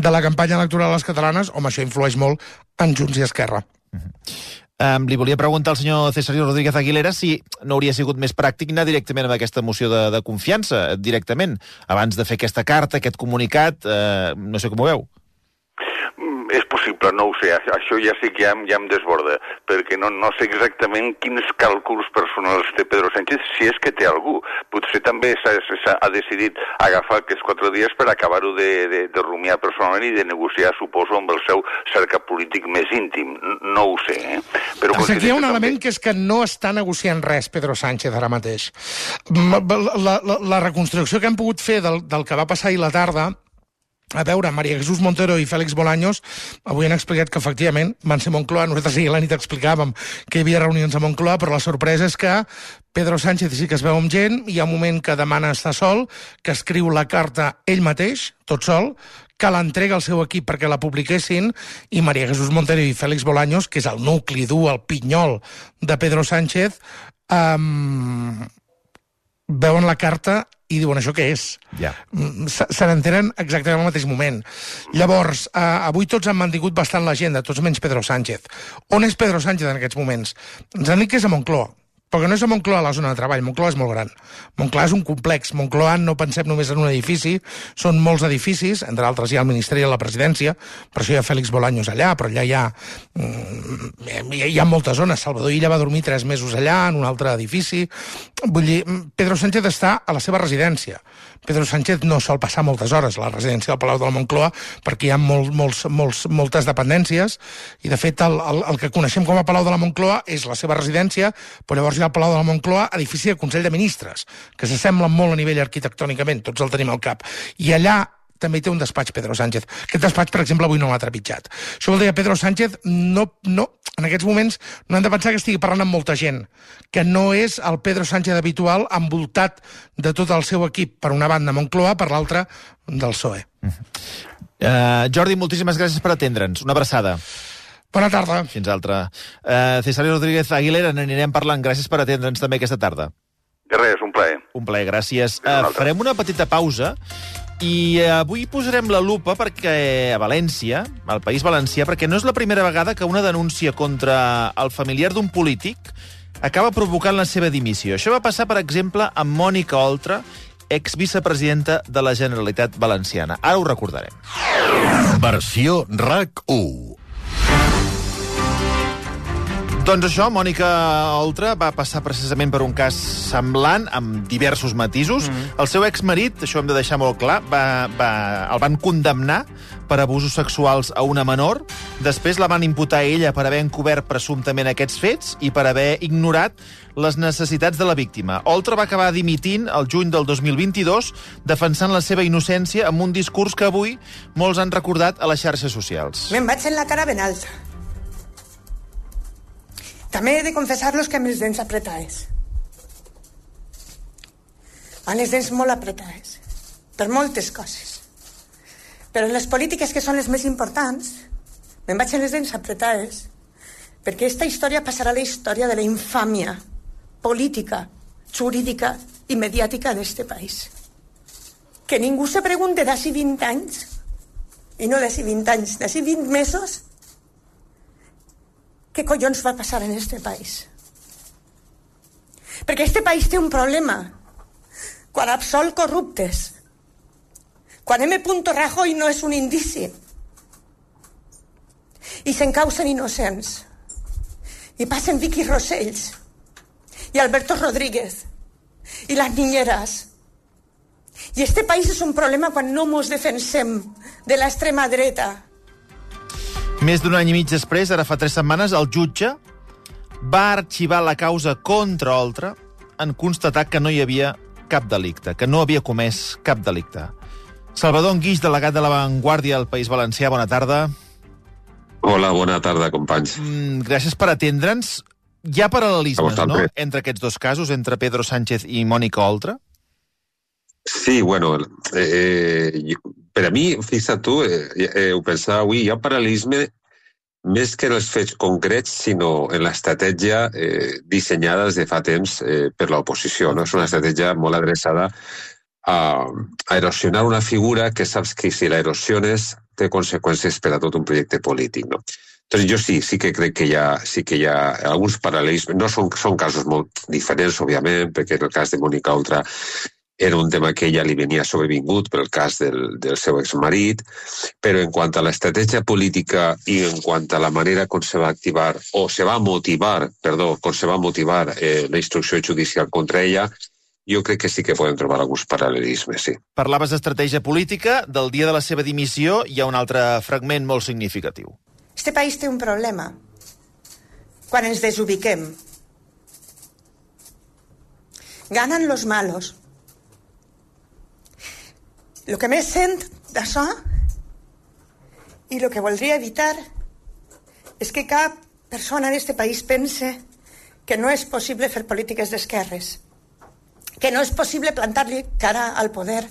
de la campanya electoral a les catalanes, home, això influeix molt en Junts i Esquerra. Li volia preguntar al senyor César Rodríguez Aguilera si no hauria sigut més pràctic anar directament amb aquesta moció de confiança, directament, abans de fer aquesta carta, aquest comunicat, no sé com ho veu. És possible, no ho sé, això ja sí que ja em desborda, perquè no sé exactament quins càlculs personals té Pedro Sánchez, si és que té algú. Potser també ha decidit agafar aquests 4 dies per acabar-ho de rumiar personalment i de negociar, suposo, amb el seu cercle polític més íntim. No ho sé, Però aquí hi ha un element que és que no està negociant res Pedro Sánchez ara mateix. La reconstrucció que hem pogut fer del que va passar ahir la tarda, a veure, María Jesús Montero i Félix Bolaños avui han explicat que efectivament van ser a Moncloa. Nosaltres ahir a la nit explicàvem que hi havia reunions a Moncloa, però la sorpresa és que Pedro Sánchez sí que es veu amb gent, hi ha un moment que demana estar sol, que escriu la carta ell mateix, tot sol, que l'entrega al seu equip perquè la publiquessin, i María Jesús Montero i Félix Bolaños, que és el nucli dur, el pinyol de Pedro Sánchez, veuen la carta i diuen, això què és? Se n'entenen exactament al mateix moment. Llavors, avui tots han mantingut bastant l'agenda, tots menys Pedro Sánchez. On és Pedro Sánchez en aquests moments? Ens han dit que és a Moncloa, perquè no és a Moncloa la zona de treball. Moncloa és molt gran. Moncloa és un complex. Moncloa no pensem només en un edifici, són molts edificis, entre altres hi ha el Ministeri de la Presidència, per això hi ha Félix Bolaños allà, però allà hi ha moltes zones. Salvador Illa va dormir 3 mesos allà, en un altre edifici. Vull dir, Pedro Sánchez està a la seva residència. Pedro Sánchez no sol passar moltes hores a la residència del Palau de la Moncloa perquè hi ha moltes dependències, i de fet el que coneixem com a Palau de la Moncloa és la seva residència, però llavors hi ha el Palau de la Moncloa, edifici de Consell de Ministres, que s'assemblen molt a nivell arquitectònicament, tots el tenim al cap. I allà també té un despatx Pedro Sánchez. Aquest despatx, per exemple, avui no l'ha trepitjat. Això vol dir que Pedro Sánchez en aquests moments no hem de pensar que estigui parlant amb molta gent, que no és el Pedro Sánchez habitual envoltat de tot el seu equip, per una banda Moncloa, per l'altra del PSOE. Jordi, moltíssimes gràcies per atendre'ns. Una abraçada. Bona tarda. Fins altra. César Rodríguez Aguilera, n'anirem parlant. Gràcies per atendre'ns també aquesta tarda. De res, un plaer. Un plaer, gràcies. Farem una petita pausa i avui posarem la lupa perquè a València, al País Valencià, perquè no és la primera vegada que una denúncia contra el familiar d'un polític acaba provocant la seva dimissió. Això va passar, per exemple, amb Mònica Oltra, exvicepresidenta de la Generalitat Valenciana. Ara ho recordarem. Versió RAC1. Doncs això, Mònica Oltra va passar precisament per un cas semblant, amb diversos matisos. El seu exmarit, això hem de deixar molt clar, el van condemnar per abusos sexuals a una menor. Després la van imputar a ella per haver encobert presumptament aquests fets i per haver ignorat les necessitats de la víctima. Oltra va acabar dimitint el juny del 2022, defensant la seva innocència amb un discurs que avui molts han recordat a les xarxes socials. Me'n vaig en la cara ben alta. També he de confessar-los que amb les dents apretades. amb les dents molt apretades, per moltes coses. Però les polítiques que són les més importants, me'n vaig amb les dents apretades, perquè aquesta història passarà a la història de la infàmia política, jurídica i mediàtica d'este país. Que ningú se pregunte d'ací 20 anys, i no d'ací 20 anys, d'ací 20 mesos, què collons va passar en este país. Perquè este país té un problema. Quan absol corruptes, quan M. Rajoy no és un indici, i s'encausen innocents, i passen Vicky Rosells, i Alberto Rodríguez, i les niñeras. I este país és un problema quan no mos defensem de l'extrema dreta. Més d'un any i mig després, ara fa 3 setmanes, el jutge va arxivar la causa contra Oltra en constatar que no hi havia cap delicte, que no havia comès cap delicte. Salvador Anguix, delegat de La Vanguardia al País Valencià, bona tarda. Hola, bona tarda, companys. Gràcies per atendre'ns. Hi ha paral·lelismes, no?, entre aquests dos casos, entre Pedro Sánchez i Mònica Oltra? Sí, bueno, per a mi, fixa't tu, ho pensava avui, hi ha paral·lelisme més que en els fets concrets, sinó en l'estratègia dissenyada des de fa temps per l'oposició. No? És una estratègia molt adreçada a erosionar una figura que saps que si la erosiones té conseqüències per a tot un projecte polític. No? Entonces jo sí que crec que hi ha alguns paral·lelismes. No són casos molt diferents, òbviament, perquè en el cas de Mònica Oltra era un tema que ella li venia sobrevingut per el cas del seu exmarit, però en quant a l'estratègia política i en quant a la manera com se va activar, o se va motivar, la instrucció judicial contra ella, jo crec que sí que podem trobar alguns paral·lelismes, sí. Parlaves d'estratègia política, del dia de la seva dimissió hi ha un altre fragment molt significatiu. Este país té un problema. Quan ens desubiquem. Ganan los malos. Lo que més sent d'això i lo que voldria evitar és que cap persona en este país pense que no és possible fer polítiques d'esquerres, que no és possible plantar-li cara al poder,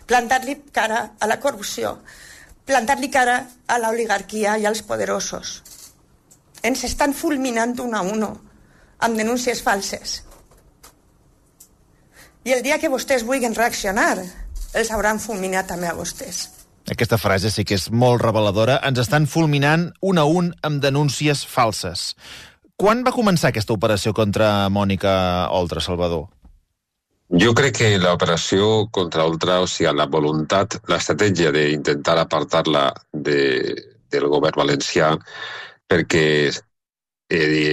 plantar-li cara a la corrupció, plantar-li cara a l'oligarquia i als poderosos. Ens estan fulminant un a uno amb denúncies falses. I el dia que vostès vulguin reaccionar, els hauran fulminat també a vostès. Aquesta frase sí que és molt reveladora. Ens estan fulminant un a un amb denúncies falses. Quan va començar aquesta operació contra Mònica Oltra, Salvador? Jo crec que l'operació contra Oltra, o sigui, la voluntat, l'estratègia d'intentar apartar-la del govern valencià, perquè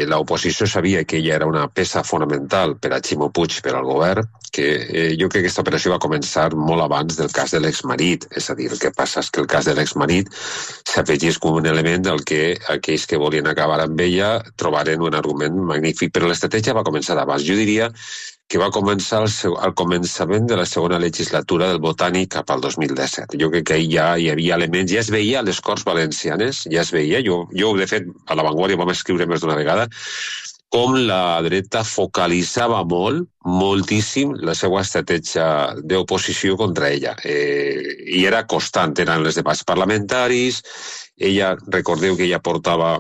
l'oposició sabia que ella era una peça fonamental per a Ximo Puig, per al govern, que jo crec que aquesta operació va començar molt abans del cas de l'exmarit. És a dir, el que passa és que el cas de l'exmarit s'afegís com un element del que aquells que volien acabar amb ella trobaren un argument magnífic, però l'estratègia va començar abans. Jo diria que va començar al començament de la segona legislatura del Botànic cap al 2017. Jo crec que ahir ja hi havia elements, ja es veia a les Corts Valencianes, ja es veia, jo de fet, a La Vanguardia vam escriure més d'una vegada, com la dreta focalitzava moltíssim la seva estratègia d'oposició contra ella. I era constant, eren els debats parlamentaris, recordeu que ella portava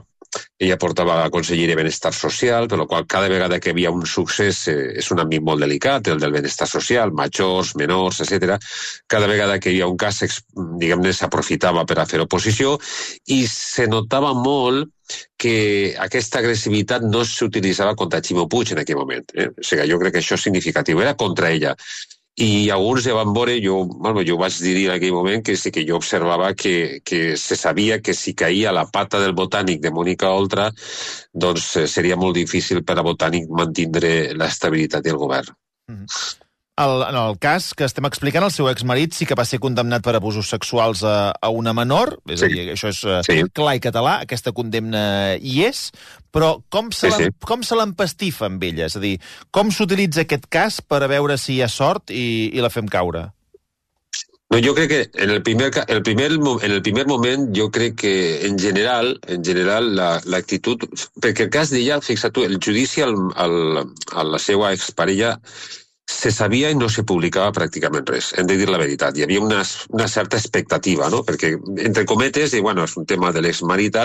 a Conselleria de Benestar Social, per la qual cada vegada que hi havia un succés és un àmbit molt delicat, el del benestar social, majors, menors, etc. Cada vegada que hi havia un cas, diguem-ne, s'aprofitava per a fer oposició i se notava molt que aquesta agressivitat no s'utilitzava contra Ximo Puig en aquell moment. O sigui, jo crec que això és significatiu. Era contra ella. I alguns ja van veure, jo vaig dir en aquell moment que sí que jo observava que se sabia que si caïa la pata del Botànic de Mònica Oltra, doncs seria molt difícil per a Botànic mantindre l'estabilitat del govern. En el cas que estem explicant, el seu exmarit sí que va ser condemnat per abusos sexuals a una menor, és a dir, això és clar i català, aquesta condemna hi és, però com se l'empastifa amb ella? És a dir, com s'utilitza aquest cas per a veure si hi ha sort i la fem caure? No, jo crec que en el primer moment jo crec que en general l'actitud, perquè el cas d'ella, fixa't tu, el judici a la seva exparella se sabia i no se publicava pràcticament res, hem de dir la veritat. Hi havia una certa expectativa, no? Perquè, entre cometes, i bueno, és un tema de l'exmarit,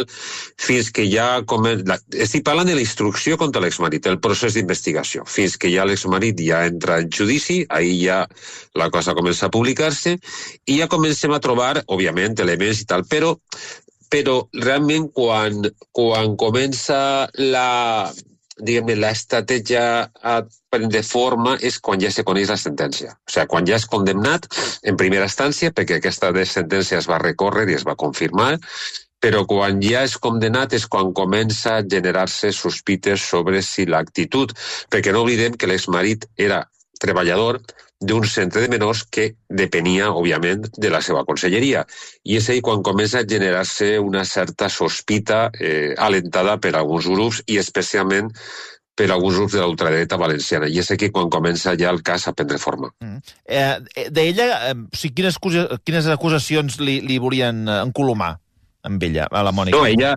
fins que ja... Estic parlant de la instrucció contra l'exmarit, el procés d'investigació. Fins que ja l'exmarit ja entra en judici, ahir ja la cosa comença a publicar-se, i ja comencem a trobar, òbviament, elements i tal, però realment quan comença l'estratègia a prendre forma és quan ja se coneix la sentència. O sigui, quan ja és condemnat en primera instància, perquè aquesta sentència es va recórrer i es va confirmar, però quan ja és condemnat és quan comença a generar-se sospites sobre si l'actitud, perquè no oblidem que l'exmarit era treballador d'un centre de menors que depenia, òbviament, de la seva conselleria. I és ahí quan comença a generar-se una certa sospita alentada per alguns grups i especialment per alguns grups de la ultradreta valenciana. I és aquí quan comença ja el cas a prendre forma. D'ella, quines acusacions li volien encolomar amb ella, a la Mònica? No, ella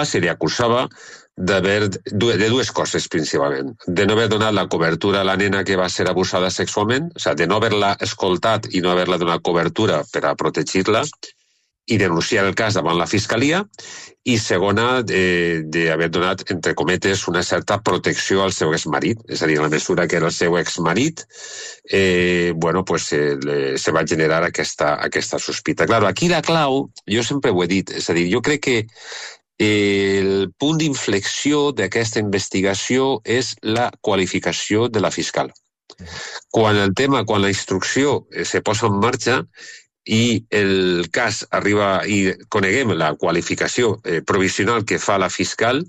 se li acusava de dues coses, principalment. De no haver donat la cobertura a la nena que va ser abusada sexualment, o sigui, de no haver-la escoltat i no haver-la donat cobertura per a protegir-la, i denunciar el cas davant la Fiscalia, i segona, d'haver donat, entre cometes, una certa protecció al seu exmarit, és a dir, en la mesura que era el seu exmarit, se va generar aquesta sospita. Claro, aquí la clau, jo sempre ho he dit, és a dir, jo crec que el punt d'inflexió d'aquesta investigació és la qualificació de la fiscal. Quan la instrucció se posa en marxa i el cas arriba i coneguem la qualificació provisional que fa la fiscal,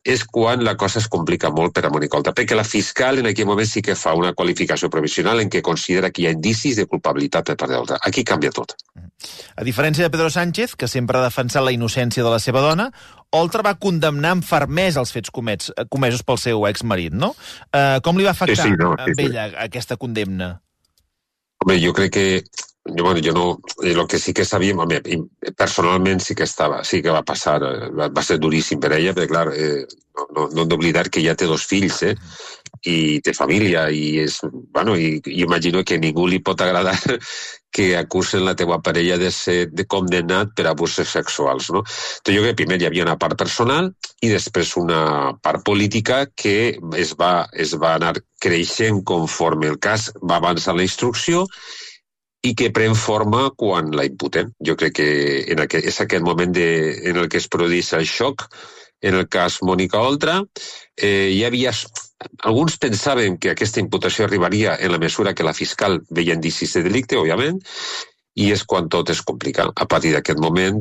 és quan la cosa es complica molt per a Mònica Oltra, perquè la fiscal en aquell moment sí que fa una qualificació provisional en què considera que hi ha indicis de culpabilitat per part de l'altra. Aquí canvia tot. A diferència de Pedro Sánchez, que sempre ha defensat la innocència de la seva dona, Oltra va condemnar amb fermesa els fets comesos pel seu exmarit, no? Com li va afectar a ella aquesta condemna? Home, jo crec que jo no, el que sí que sabíem, personalment sí que va passar, va ser duríssim per ella, perquè clar, no hem d'oblidar que ja té 2 fills, i té família, i imagino que a ningú li pot agradar que acusen la teva parella de ser condemnat per abusos sexuals, no? Jo crec que primer hi havia una part personal i després una part política que es va anar creixent conforme el cas va avançar la instrucció i que pren forma quan la imputen. Jo crec que és aquest moment en el que es produeix el xoc. En el cas Mònica Oltra, alguns pensaven que aquesta imputació arribaria en la mesura que la fiscal veia indicis de delicte, òbviament, i és quan tot es complica. A partir d'aquest moment,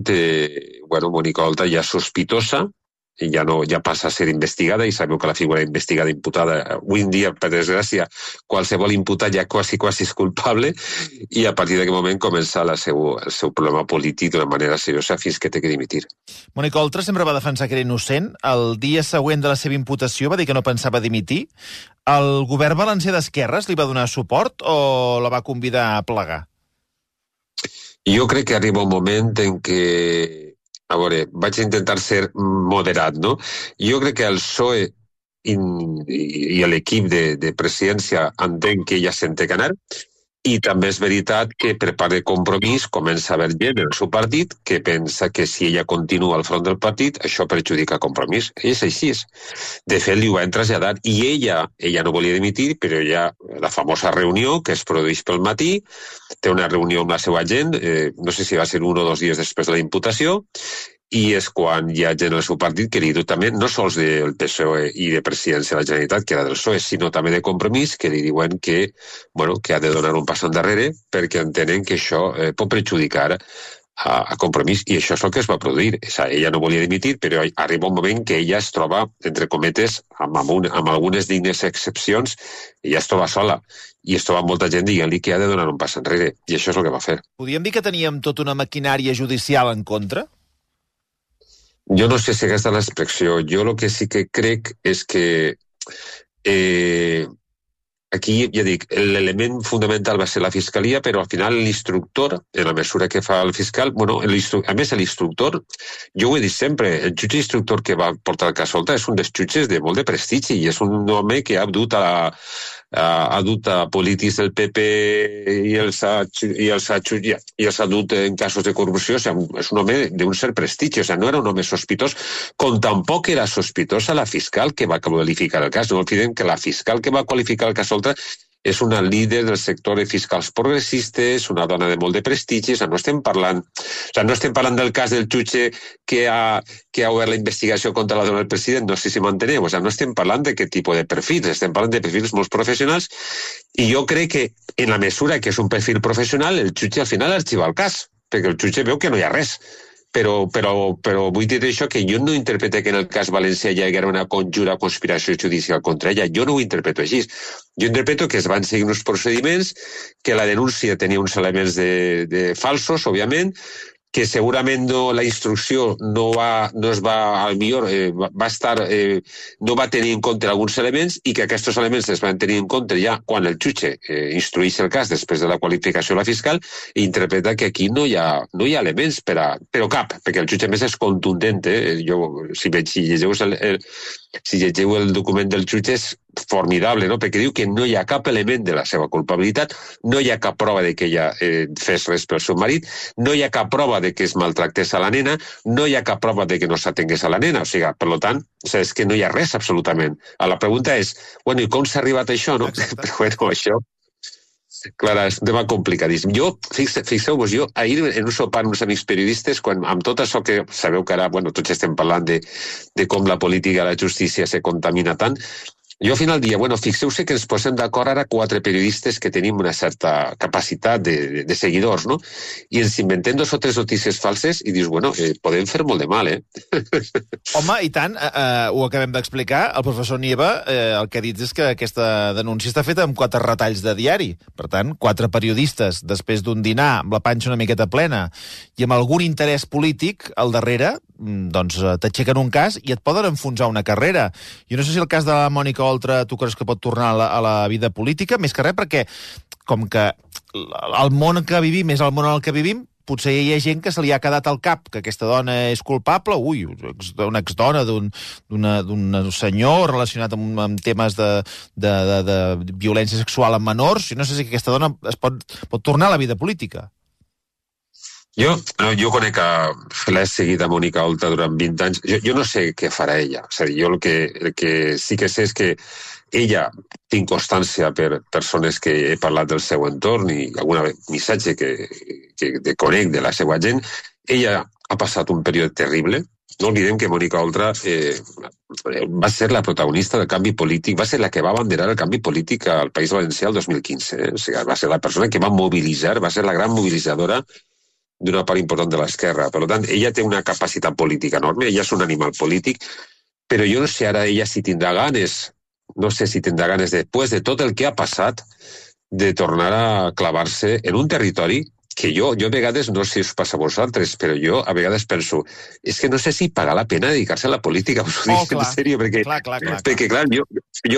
Mònica Oltra ja és sospitosa, ja passa a ser investigada, i sabeu que la figura investigada imputada, avui en dia, per desgràcia, qualsevol imputat ja quasi és culpable, i a partir d'aquest moment comença el seu problema polític d'una manera seriosa fins que té que dimitir. Mònica Oltra sempre va defensar que era innocent. El dia següent de la seva imputació va dir que no pensava dimitir. El govern valencià d'esquerres li va donar suport o la va convidar a plegar? Jo crec que arriba un moment en què vaig intentar ser moderat, no? Jo crec que el PSOE i l'equip de presidència entenc que ja se'n té que anar, i també és veritat que per part de Compromís comença a haver gent en el seu partit que pensa que si ella continua al front del partit, això perjudica Compromís. És així. De fet, li ho han traslladat, i ella no volia dimitir, però la famosa reunió que es produeix pel matí, té una reunió amb la seva gent, no sé si va ser 1 o 2 dies després de la imputació, i és quan hi ha gent del seu partit que li diu també, no sols del PSOE i de Presidència de la Generalitat, que era del PSOE, sinó també de Compromís, que li diuen que ha de donar un pas endarrere perquè entenen que això pot perjudicar a Compromís, i això és el que es va produir. Ella no volia dimitir, però arriba un moment que ella es troba, entre cometes, amb algunes dignes excepcions, ella es troba sola, i es troba molta gent dient-li que ha de donar un pas enrere, i això és el que va fer. Podríem dir que teníem tota una maquinària judicial en contra? Jo no sé si aquesta és l'expressió. Jo el que sí que crec és que aquí, ja dic, l'element fundamental va ser la fiscalia, però al final l'instructor, en la mesura que fa el fiscal, a més l'instructor, jo ho he dit sempre, el jutge instructor que va portar el cas Oltra és un dels jutges de molt de prestigi, i és un home que ha dut ha dut a polítics del PP i els ha dut en casos de corrupció. O sigui, és un home d'un cert prestigi, o sigui, no era un home sospitós, com tampoc era sospitosa la fiscal que va qualificar el cas. No olvidem que la fiscal que va qualificar el cas Oltra és una líder del sector de fiscals progressistes, una dona de molt de prestigi. O sigui, no estem parlant del cas del jutge que ha obert la investigació contra la dona del president, no sé si m'enteneu. O sigui, no estem parlant d'aquest tipus de perfils, estem parlant de perfils molt professionals, i jo crec que en la mesura que és un perfil professional, el jutge al final arxiva el cas, perquè el jutge veu que no hi ha res. Però vull dir això, que jo no interpreto que en el cas València hi haguera una conjura conspiració judicial contra ella. Jo no ho interpreto així. Jo interpreto que es van seguir uns procediments, que la denúncia tenia uns elements de falsos, òbviament, que segurament la instrucció no va tenir en compte alguns elements, i que aquests elements es van tenir en compte ja quan el jutge instrueix el cas després de la qualificació de la fiscal, i interpreta que aquí no hi ha elements però cap, perquè el jutge més és contundent. Si llegeu el document del jutge és formidable, no? Perquè diu que no hi ha cap element de la seva culpabilitat, no hi ha cap prova de que ella fes res pel seu marit, no hi ha cap prova de que es maltractés a la nena, no hi ha cap prova de que no s'atengués a la nena. O sigui, per tant, és que no hi ha res absolutament. La pregunta és, bueno, i com s'ha arribat a això, no? Però bueno, això... Clar, és un tema complicadíssim. Fixeu-vos, jo ahir en un sopar amb uns amics periodistes, amb tot això que sabeu que ara, bueno, tots estem parlant de com la política i la justícia se contamina tant, jo al final dia, bueno, fixeu-se que ens posem d'acord ara 4 periodistes que tenim una certa capacitat de seguidors, no? I ens inventem 2 o 3 notícies falses i dius, bueno, podem fer molt de mal, Home, i tant, ho acabem d'explicar. El professor Nieva el que ha dit és que aquesta denúncia està feta amb 4 retalls de diari. Per tant, 4 periodistes, després d'un dinar amb la panxa una miqueta plena i amb algun interès polític al darrere, doncs t'aixequen un cas i et poden enfonsar una carrera. Jo no sé si el cas de la Mònica Oltra tu creus que pot tornar a la vida política, més que res perquè com que el món que vivim és el món en el que vivim, potser hi ha gent que se li ha quedat al cap que aquesta dona és culpable, una exdona d'un senyor relacionat amb temes de violència sexual amb menors. Jo no sé si aquesta dona es pot tornar a la vida política. Jo conec l'he seguit a Mònica Oltra durant 20 anys. Jo no sé què farà ella. És a dir, jo el que sí que sé és que ella, tinc constància per persones que he parlat del seu entorn i algun missatge que conec de la seva gent, ella ha passat un període terrible. No oblidem que Mònica Oltra va ser la protagonista del canvi polític, va ser la que va abanderar el canvi polític al País Valencià el 2015. O sigui, va ser la persona que va mobilitzar, va ser la gran mobilitzadora d'una part important de l'esquerra. Per tant, ella té una capacitat política enorme, ella és un animal polític, però jo no sé ara ella si tindrà ganes, després de tot el que ha passat, de tornar a clavar-se en un territori que jo a vegades, no sé si us passa a vosaltres, però jo a vegades penso, és que no sé si paga la pena dedicar-se a la política, us ho dic en sèrio, perquè clar, jo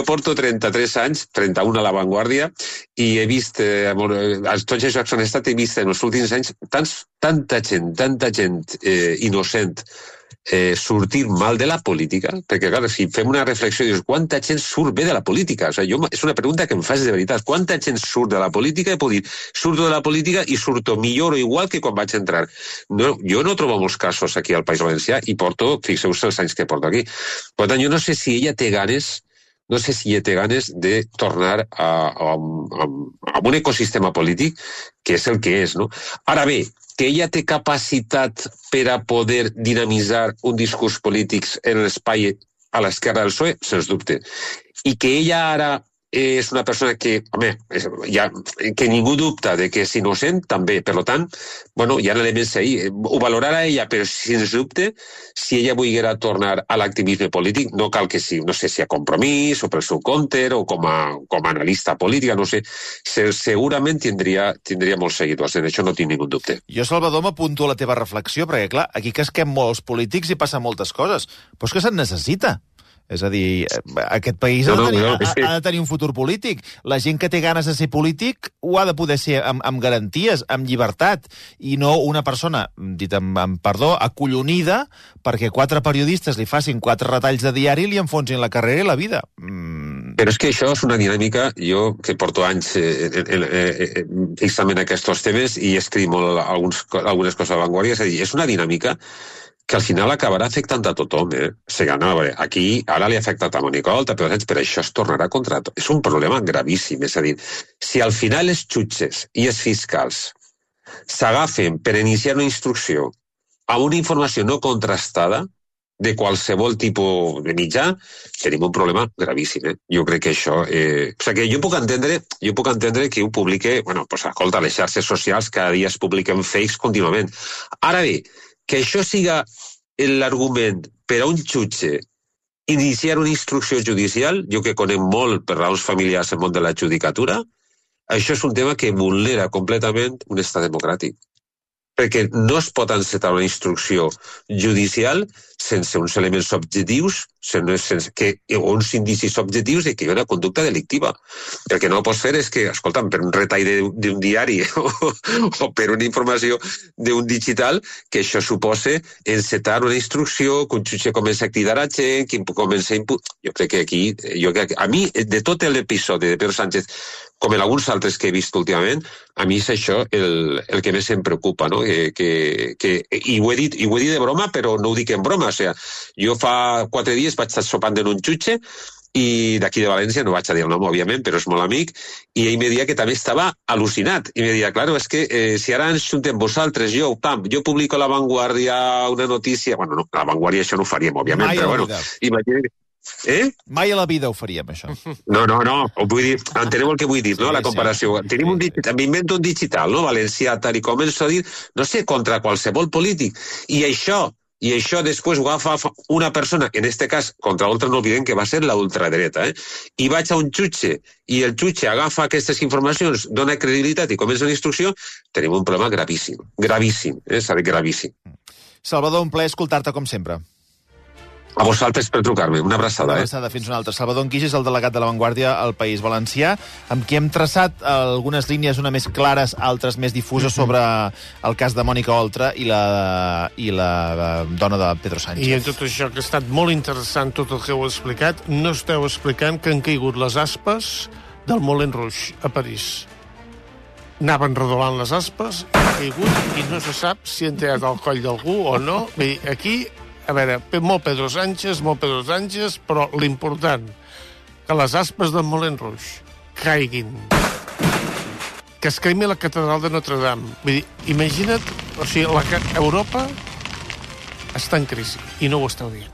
porto 33 anys, 31 a La Vanguardia, i he vist, als tots els jocs on he estat, he vist en els últims anys tanta gent innocent sortir mal de la política, perquè clar, si fem una reflexió, dius, quanta gent surt bé de la política? O sigui, és una pregunta que em fas de veritat. Quanta gent surt de la política? I puc dir, surto de la política i surto millor o igual que quan vaig entrar. No, jo no trobo molts casos aquí al País Valencià i fixeu-se els anys que porto aquí. Per tant, jo no sé si ella té ganes de tornar a un ecosistema polític que és el que és, no? Ara bé, que ella té capacitat per a poder dinamitzar un discurs polític en l'espai a l'esquerra del PSOE, sens dubte. I que ella ara és una persona que, que ningú dubta de que és innocent, també. Per tant, bueno, hi ha elements ahí. Ho valorarà ella, però sens dubte, si ella volguera tornar a l'activisme polític, no cal que sí, no sé si a Compromís o pel seu compte o com a analista política, no sé, segurament tindria molts seguidors, en això no tinc ningú dubte. Jo, Salvador, m'apunto a la teva reflexió, perquè, clar, aquí casquem molts polítics i passen moltes coses, però és que se'n necessita. És a dir, aquest país ha de tenir un futur polític. La gent que té ganes de ser polític ho ha de poder ser amb garanties, amb llibertat, i no una persona, dit amb perdó, acollonida perquè 4 periodistes li facin 4 retalls de diari i li enfonsin la carrera i la vida. Però és que això és una dinàmica, jo que porto anys fixament aquests temes i escric molt algunes coses a Vanguardia, és a dir, és una dinàmica que al final acabarà afectant a tothom. O sigui, no, a veure, aquí ara li ha afectat a Mònica Oltra, però això es tornarà contra tot. És un problema gravíssim, és a dir, si al final els jutges i els fiscals s'agafen per iniciar una instrucció amb una informació no contrastada de qualsevol tipus de mitjà, tenim un problema gravíssim. Jo crec que això... O sigui, jo puc entendre que ho publique... Bueno, doncs, escolta, les xarxes socials cada dia es publiquen fakes contínuament. Ara bé, que això siga l'argument per a un jutge iniciar una instrucció judicial, jo que conec molt per raons familiars el món de la judicatura, això és un tema que vulnera completament un estat democràtic. Perquè no es pot encetar una instrucció judicial sense uns elements objectius, o uns indicis objectius de que hi ha una conducta delictiva. El que no pots fer és que, escolta'm, per un retall d'un diari o per una informació d'un digital, que això suposa encetar una instrucció, que un jutge comença a cridar a gent, que comença a Jo crec que aquí... A mi, de tot l'episodi de Pedro Sánchez, com en alguns altres que he vist últimament, a mi és això el que més em preocupa, no? I ho he dit de broma, però no ho dic en broma. O sigui, jo fa 4 dies vaig estar sopant en un jutge i d'aquí de València, no vaig a dir el nom, òbviament, però és molt amic, i ell me deia que també estava al·lucinat. I me deia, claro, és que si ara ens juntem vosaltres, jo publico a La Vanguardia una notícia... Bueno, no, a La Vanguardia això no ho faríem, òbviament, però bueno, imagina't... Mai a la vida ho faríem, això. No, vull dir, enteneu el que vull dir, no? La comparació. Tenim un digital, m'invento un digital, no? Valencià, tal i començo a dir, no sé, contra qualsevol polític. I això després ho agafa una persona, en aquest cas, contra l'ultra no oblidem que va ser la ultradreta, i vaig a un jutge, i el jutge agafa aquestes informacions, dona credibilitat i comença una instrucció, tenim un problema gravíssim. Gravíssim, s'ha dit gravíssim. Salvador, un plaer escoltar-te com sempre. A vosaltres per trucar-me. Una abraçada. Una abraçada, fins una altra. Salvador Enquix és el delegat de La Vanguardia al País Valencià, amb qui hem traçat algunes línies, una més clares, altres més difuses, sobre el cas de Mònica Oltra i la dona de Pedro Sánchez. I en tot això, que ha estat molt interessant tot el que heu explicat, no esteu explicant que han caigut les aspes del Moulin Rouge a París. Anaven redolant les aspes, han caigut i no se sap si han tallat el coll d'algú o no. Bé, aquí... A veure, molt Pedro Sánchez, però l'important, que les aspes del Moulin Rouge caiguin. Que es cremi la catedral de Notre Dame. Vull dir, imagina't, Europa està en crisi i no ho esteu dient.